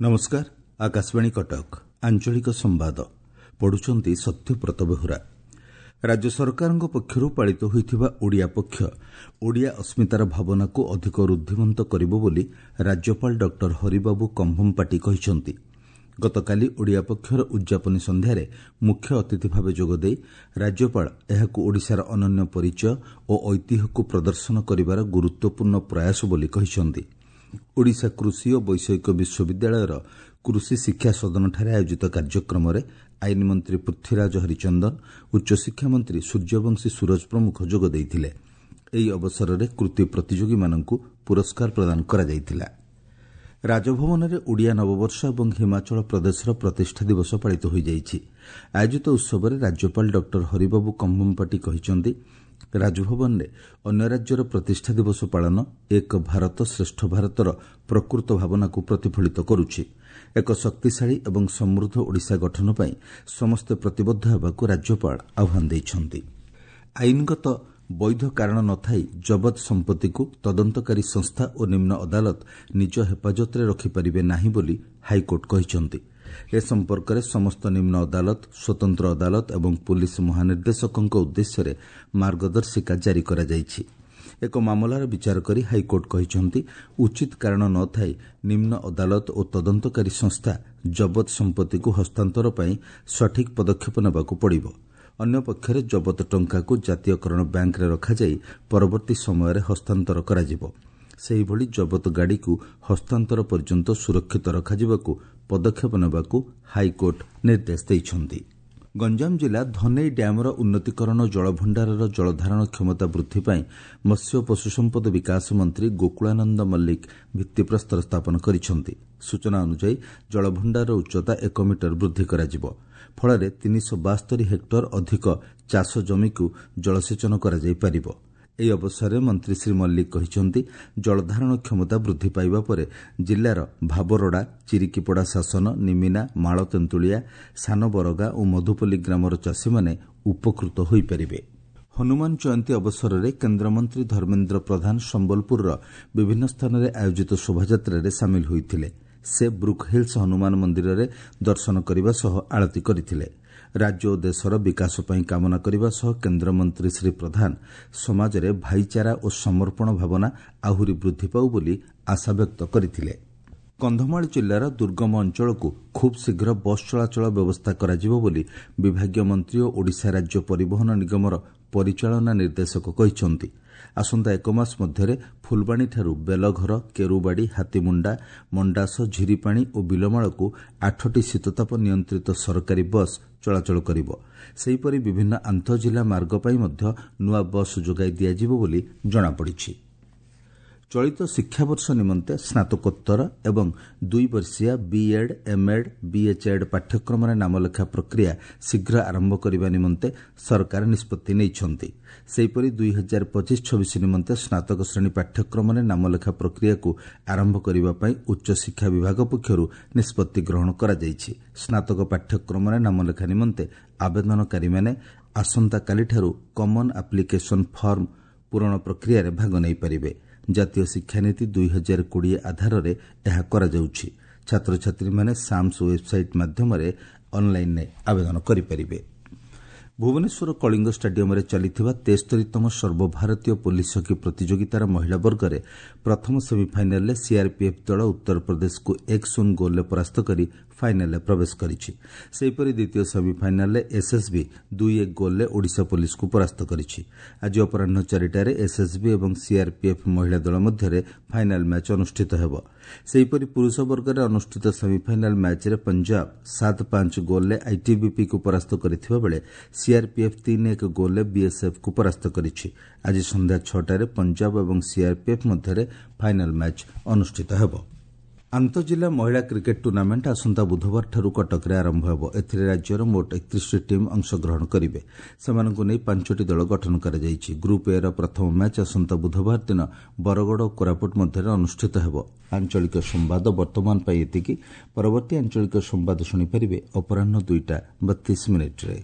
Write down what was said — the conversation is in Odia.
ନମସ୍କାର, ଆକାଶବାଣୀ କଟକ। ଆଞ୍ଚଳିକ ସମ୍ବାଦ ପଢୁଛନ୍ତି ସତ୍ୟବ୍ରତ ବେହୁରା। ରାଜ୍ୟ ସରକାରଙ୍କ ପକ୍ଷରୁ ପାଳିତ ହୋଇଥିବା ଓଡ଼ିଆ ପକ୍ଷ ଓଡ଼ିଆ ଅସ୍ମିତାର ଭାବନାକୁ ଅଧିକ ରୁଦ୍ଧିମନ୍ତ କରିବ ବୋଲି ରାଜ୍ୟପାଳ ଡକ୍ଟର ହରିବାବୁ କମ୍ଭମପାଟି କହିଛନ୍ତି। ଗତକାଲି ଓଡ଼ିଆ ପକ୍ଷର ଉଦ୍ଯାପନୀ ସନ୍ଧ୍ୟାରେ ମୁଖ୍ୟ ଅତିଥି ଭାବେ ଯୋଗଦେଇ ରାଜ୍ୟପାଳ ଏହାକୁ ଓଡ଼ିଶାର ଅନନ୍ୟ ପରିଚୟ ଓ ଐତିହ୍ୟକୁ ପ୍ରଦର୍ଶନ କରିବାର ଗୁରୁତ୍ୱପୂର୍ଣ୍ଣ ପ୍ରୟାସ ବୋଲି କହିଛନ୍ତି। ଓଡ଼ିଶା କୃଷି ଓ ବୈଷୟିକ ବିଶ୍ୱବିଦ୍ୟାଳୟର କୃଷି ଶିକ୍ଷା ସଦନଠାରେ ଆୟୋଜିତ କାର୍ଯ୍ୟକ୍ରମରେ ଆଇନ ମନ୍ତ୍ରୀ ପୃଥ୍ୱୀରାଜ ହରିଚନ୍ଦନ, ଉଚ୍ଚଶିକ୍ଷା ମନ୍ତ୍ରୀ ସୂର୍ଯ୍ୟବଂଶୀ ସୂରଜ ପ୍ରମୁଖ ଯୋଗ ଦେଇଥିଲେ। ଏହି ଅବସରରେ କୃତି ପ୍ରତିଯୋଗୀମାନଙ୍କୁ ପୁରସ୍କାର ପ୍ରଦାନ କରାଯାଇଥିଲା। ରାଜଭବନରେ ଓଡ଼ିଆ ନବବର୍ଷ ଏବଂ ହିମାଚଳ ପ୍ରଦେଶର ପ୍ରତିଷ୍ଠା ଦିବସ ପାଳିତ ହୋଇଯାଇଛି। ଆୟୋଜିତ ଉତ୍ସବରେ ରାଜ୍ୟପାଳ ଡକ୍ଟର ହରିବାବୁ କମ୍ଭମପାଟି କହିଛନ୍ତି, ରାଜଭବନରେ ଅନ୍ୟ ରାଜ୍ୟର ପ୍ରତିଷ୍ଠା ଦିବସ ପାଳନ ଏକ ଭାରତ ଶ୍ରେଷ୍ଠ ଭାରତର ପ୍ରକୃତ ଭାବନାକୁ ପ୍ରତିଫଳିତ କରୁଛି। ଏକ ଶକ୍ତିଶାଳୀ ଏବଂ ସମୃଦ୍ଧ ଓଡ଼ିଶା ଗଠନ ପାଇଁ ସମସ୍ତେ ପ୍ରତିବଦ୍ଧ ହେବାକୁ ରାଜ୍ୟପାଳ ଆହ୍ୱାନ ଦେଇଛନ୍ତି। ଆଇନଗତ ବୈଧ କାରଣ ନଥାଇ ଜବତ ସମ୍ପତ୍ତିକୁ ତଦନ୍ତକାରୀ ସଂସ୍ଥା ଓ ନିମ୍ନ ଅଦାଲତ ନିଜ ହେଫାଜତରେ ରଖିପାରିବେ ନାହିଁ ବୋଲି ହାଇକୋର୍ଟ କହିଛନ୍ତି। ଏ ସମ୍ପର୍କରେ ସମସ୍ତ ନିମ୍ନ ଅଦାଲତ, ସ୍ୱତନ୍ତ୍ର ଅଦାଲତ ଏବଂ ପୁଲିସ୍ ମହାନିର୍ଦ୍ଦେଶକଙ୍କ ଉଦ୍ଦେଶ୍ୟରେ ମାର୍ଗଦର୍ଶିକା ଜାରି କରାଯାଇଛି। ଏକ ମାମଲାର ବିଚାର କରି ହାଇକୋର୍ଟ କହିଛନ୍ତି, ଉଚିତ କାରଣ ନ ଥାଇ ନିମ୍ନ ଅଦାଲତ ଓ ତଦନ୍ତକାରୀ ସଂସ୍ଥା ଜବତ ସମ୍ପତ୍ତିକୁ ହସ୍ତାନ୍ତର ପାଇଁ ସଠିକ୍ ପଦକ୍ଷେପ ନେବାକୁ ପଡ଼ିବ। ଅନ୍ୟପକ୍ଷରେ ଜବତ ଟଙ୍କାକୁ ଜାତୀୟକରଣ ବ୍ୟାଙ୍କରେ ରଖାଯାଇ ପରବର୍ତ୍ତୀ ସମୟରେ ହସ୍ତାନ୍ତର କରାଯିବ। ସେହିଭଳି ଜବତ ଗାଡ଼ିକୁ ହସ୍ତାନ୍ତର ପର୍ଯ୍ୟନ୍ତ ସୁରକ୍ଷିତ ରଖାଯିବାକୁ ପଦକ୍ଷେପ ନେବାକୁ ହାଇକୋର୍ଟ ନିର୍ଦ୍ଦେଶ ଦେଇଛନ୍ତି। ଗଞ୍ଜାମ ଜିଲ୍ଲା ଧନେଇ ଡ୍ୟାମ୍ର ଉନ୍ନତୀକରଣ, ଜଳଭଣ୍ଡାରର ଜଳଧାରଣ କ୍ଷମତା ବୃଦ୍ଧି ପାଇଁ ମତ୍ସ୍ୟ ଓ ପଶୁସମ୍ପଦ ବିକାଶ ମନ୍ତ୍ରୀ ଗୋକୁଳାନନ୍ଦ ମଲ୍ଲିକ ଭିତ୍ତିପ୍ରସ୍ତର ସ୍ଥାପନ କରିଛନ୍ତି। ସୂଚନା ଅନୁଯାୟୀ ଜଳଭଣ୍ଡାରର ଉଚ୍ଚତା 1 ମିଟର ବୃଦ୍ଧି କରାଯିବ। ଫଳରେ 372 ହେକ୍ଟର ଅଧିକ ଚାଷ ଜମିକୁ ଜଳସେଚନ କରାଯାଇପାରିବ। ଏହି ଅବସରରେ ମନ୍ତ୍ରୀ ଶ୍ରୀ ମଲ୍ଲିକ କହିଛନ୍ତି, ଜଳଧାରଣ କ୍ଷମତା ବୃଦ୍ଧି ପାଇବା ପରେ ଜିଲ୍ଲାର ଭାବରଡ଼ା, ଚିରିକିପଡ଼ା ଶାସନ, ନିମିନା, ମାଳତେନ୍ତୁଳିଆ, ସାନବରଗା ଓ ମଧୁପଲ୍ଲୀ ଗ୍ରାମର ଚାଷୀମାନେ ଉପକୃତ ହୋଇପାରିବେ। ହନୁମାନ ଜୟନ୍ତୀ ଅବସରରେ କେନ୍ଦ୍ରମନ୍ତ୍ରୀ ଧର୍ମେନ୍ଦ୍ର ପ୍ରଧାନ ସମ୍ବଲପୁରର ବିଭିନ୍ନ ସ୍ଥାନରେ ଆୟୋଜିତ ଶୋଭାଯାତ୍ରାରେ ସାମିଲ ହୋଇଥିଲେ। ସେ ବ୍ରୁକ୍ ହିଲ୍ସ ହନୁମାନ ମନ୍ଦିରରେ ଦର୍ଶନ କରିବା ସହ ଆଳତୀ କରିଥିଲେ। ରାଜ୍ୟ ଓ ଦେଶର ବିକାଶ ପାଇଁ କାମନା କରିବା ସହ କେନ୍ଦ୍ରମନ୍ତ୍ରୀ ଶ୍ରୀ ପ୍ରଧାନ ସମାଜରେ ଭାଇଚାରା ଓ ସମର୍ପଣ ଭାବନା ଆହୁରି ବୃଦ୍ଧି ପାଉ ବୋଲି ଆଶା ବ୍ୟକ୍ତ କରିଥିଲେ। କନ୍ଧମାଳ ଜିଲ୍ଲାର ଦୁର୍ଗମ ଅଞ୍ଚଳକୁ ଖୁବ୍ ଶୀଘ୍ର ବସ୍ ଚଳାଚଳ ବ୍ୟବସ୍ଥା କରାଯିବ ବୋଲି ବିଭାଗୀୟ ମନ୍ତ୍ରୀ ଓ ଓଡ଼ିଶା ରାଜ୍ୟ ପରିବହନ ନିଗମର ପରିଚାଳନା ନିର୍ଦ୍ଦେଶକ କହିଛନ୍ତି। ଆସନ୍ତା ଏକ ମାସ ମଧ୍ୟରେ ଫୁଲବାଣୀଠାରୁ ବେଲଘର, କେରୁବାଡ଼ି, ହାତୀମୁଣ୍ଡା, ମଣ୍ଡାସ, ଝିରିପାଣି ଓ ବିଲମାଳକୁ 8ଟି ଶୀତତାପ ନିୟନ୍ତ୍ରିତ ସରକାରୀ ବସ୍ ଚଳାଚଳ କରିବ। ସେହିପରି ବିଭିନ୍ନ ଆନ୍ତଃଜିଲ୍ଲା ମାର୍ଗ ପାଇଁ ମଧ୍ୟ ନୂଆ ବସ୍ ଯୋଗାଇ ଦିଆଯିବ ବୋଲି ଜଣାପଡ଼ିଛି। ଚଳିତ ଶିକ୍ଷାବର୍ଷ ନିମନ୍ତେ ସ୍ନାତକୋତ୍ତର ଏବଂ 2 ବର୍ଷିଆ ବିଏଡ୍, ଏମ୍ଏଡ୍, ବିଏଚ୍ଏଡ୍ ପାଠ୍ୟକ୍ରମରେ ନାମଲେଖା ପ୍ରକ୍ରିୟା ଶୀଘ୍ର ଆରମ୍ଭ କରିବା ନିମନ୍ତେ ସରକାର ନିଷ୍ପତ୍ତି ନେଇଛନ୍ତି। ସେହିପରି 2025-26 ନିମନ୍ତେ ସ୍ନାତକ ଶ୍ରେଣୀ ପାଠ୍ୟକ୍ରମରେ ନାମଲେଖା ପ୍ରକ୍ରିୟାକୁ ଆରମ୍ଭ କରିବା ପାଇଁ ଉଚ୍ଚଶିକ୍ଷା ବିଭାଗ ପକ୍ଷରୁ ନିଷ୍ପତ୍ତି ଗ୍ରହଣ କରାଯାଇଛି। ସ୍ନାତକ ପାଠ୍ୟକ୍ରମରେ ନାମଲେଖା ନିମନ୍ତେ ଆବେଦନକାରୀମାନେ ଆସନ୍ତାକାଲିଠାରୁ କମନ୍ ଆପ୍ଲିକେସନ୍ ଫର୍ମ ପୂରଣ ପ୍ରକ୍ରିୟାରେ ଭାଗ ନେଇପାରିବେ। ଜାତୀୟ ଶିକ୍ଷାନୀତି 2020 ଆଧାରରେ ଏହା କରାଯାଉଛି। ଛାତ୍ରଛାତ୍ରୀମାନେ ସାମ୍ସ ୱେବ୍ସାଇଟ୍ ମାଧ୍ୟମରେ ଅନ୍ଲାଇନ୍ରେ ଆବେଦନ କରିପାରିବେ। ଭୁବନେଶ୍ୱର କଳିଙ୍ଗ ଷ୍ଟାଡିୟମରେ ଚାଲିଥିବା 73ତମ ସର୍ବଭାରତୀୟ ପୋଲିସ ହକି ପ୍ରତିଯୋଗିତାର ମହିଳା ବର୍ଗରେ ପ୍ରଥମ ସେମିଫାଇନାଲରେ ସିଆର୍ପିଏଫ୍ ଦଳ ଉତ୍ତରପ୍ରଦେଶକୁ 1-0 ଗୋଲ୍ରେ ପରାସ୍ତ କରି ଫାଇନାଲରେ ପ୍ରବେଶ କରିଛି। ସେହିପରି ଦ୍ୱିତୀୟ ସେମିଫାଇନାଲରେ ଏସ୍ଏସ୍ବି 2-1 ଗୋଲ୍ରେ ଓଡ଼ିଶା ପୋଲିସକୁ ପରାସ୍ତ କରିଛି। ଆଜି ଅପରାହ୍ନ 4ଟାରେ ଏସ୍ଏସ୍ବି ଏବଂ ସିଆର୍ପିଏଫ୍ ମହିଳା ଦଳ ମଧ୍ୟରେ ଫାଇନାଲ ମ୍ୟାଚ୍ ଅନୁଷ୍ଠିତ ହେବ। ସେହିପରି ପୁରୁଷ ବର୍ଗରେ ଅନୁଷ୍ଠିତ ସେମିଫାଇନାଲ ମ୍ୟାଚ୍ରେ ପଞ୍ଜାବ 7-5 ଗୋଲ୍ରେ ଆଇଟିବିପିକୁ ପରାସ୍ତ କରିଥିବା ବେଳେ ସିଆର୍ପିଏଫ୍ 3-1 ଗୋଲ୍ରେ ବିଏସ୍ଏଫ୍କୁ ପରାସ୍ତ କରିଛି। ଆଜି ସନ୍ଧ୍ୟା 6ଟାରେ ପଞ୍ଜାବ ଏବଂ ସିଆର୍ପିଏଫ୍ ମଧ୍ୟରେ ଫାଇନାଲ ମ୍ୟାଚ୍ ଅନୁଷ୍ଠିତ ହେବ। ଆନ୍ତଃଜିଲ୍ଲା ମହିଳା କ୍ରିକେଟ୍ ଟୁର୍ଣ୍ଣାମେଣ୍ଟ ଆସନ୍ତା ବୁଧବାରଠାରୁ କଟକରେ ଆରମ୍ଭ ହେବ। ଏଥିରେ ରାଜ୍ୟର ମୋଟ 31ଟି ଟିମ୍ ଅଂଶଗ୍ରହଣ କରିବେ। ସେମାନଙ୍କୁ ନେଇ 5ଟି ଦଳ ଗଠନ କରାଯାଇଛି। ଗ୍ରୁପ୍ ଏର ପ୍ରଥମ ମ୍ୟାଚ୍ ଆସନ୍ତା ବୁଧବାର ଦିନ ବରଗଡ଼ ଓ କୋରାପୁଟ ମଧ୍ୟରେ ଅନୁଷ୍ଠିତ ହେବ। ଆଞ୍ଚଳିକ ସମ୍ବାଦ ବର୍ତ୍ତମାନ ପାଇଁ ଏତିକି। ପରବର୍ତ୍ତୀ ଆଞ୍ଚଳିକ ସମ୍ବାଦ ଶୁଣିପାରିବେ ଅପରାହ୍ନ 2ଟା 32 ମିନିଟ୍ରେ।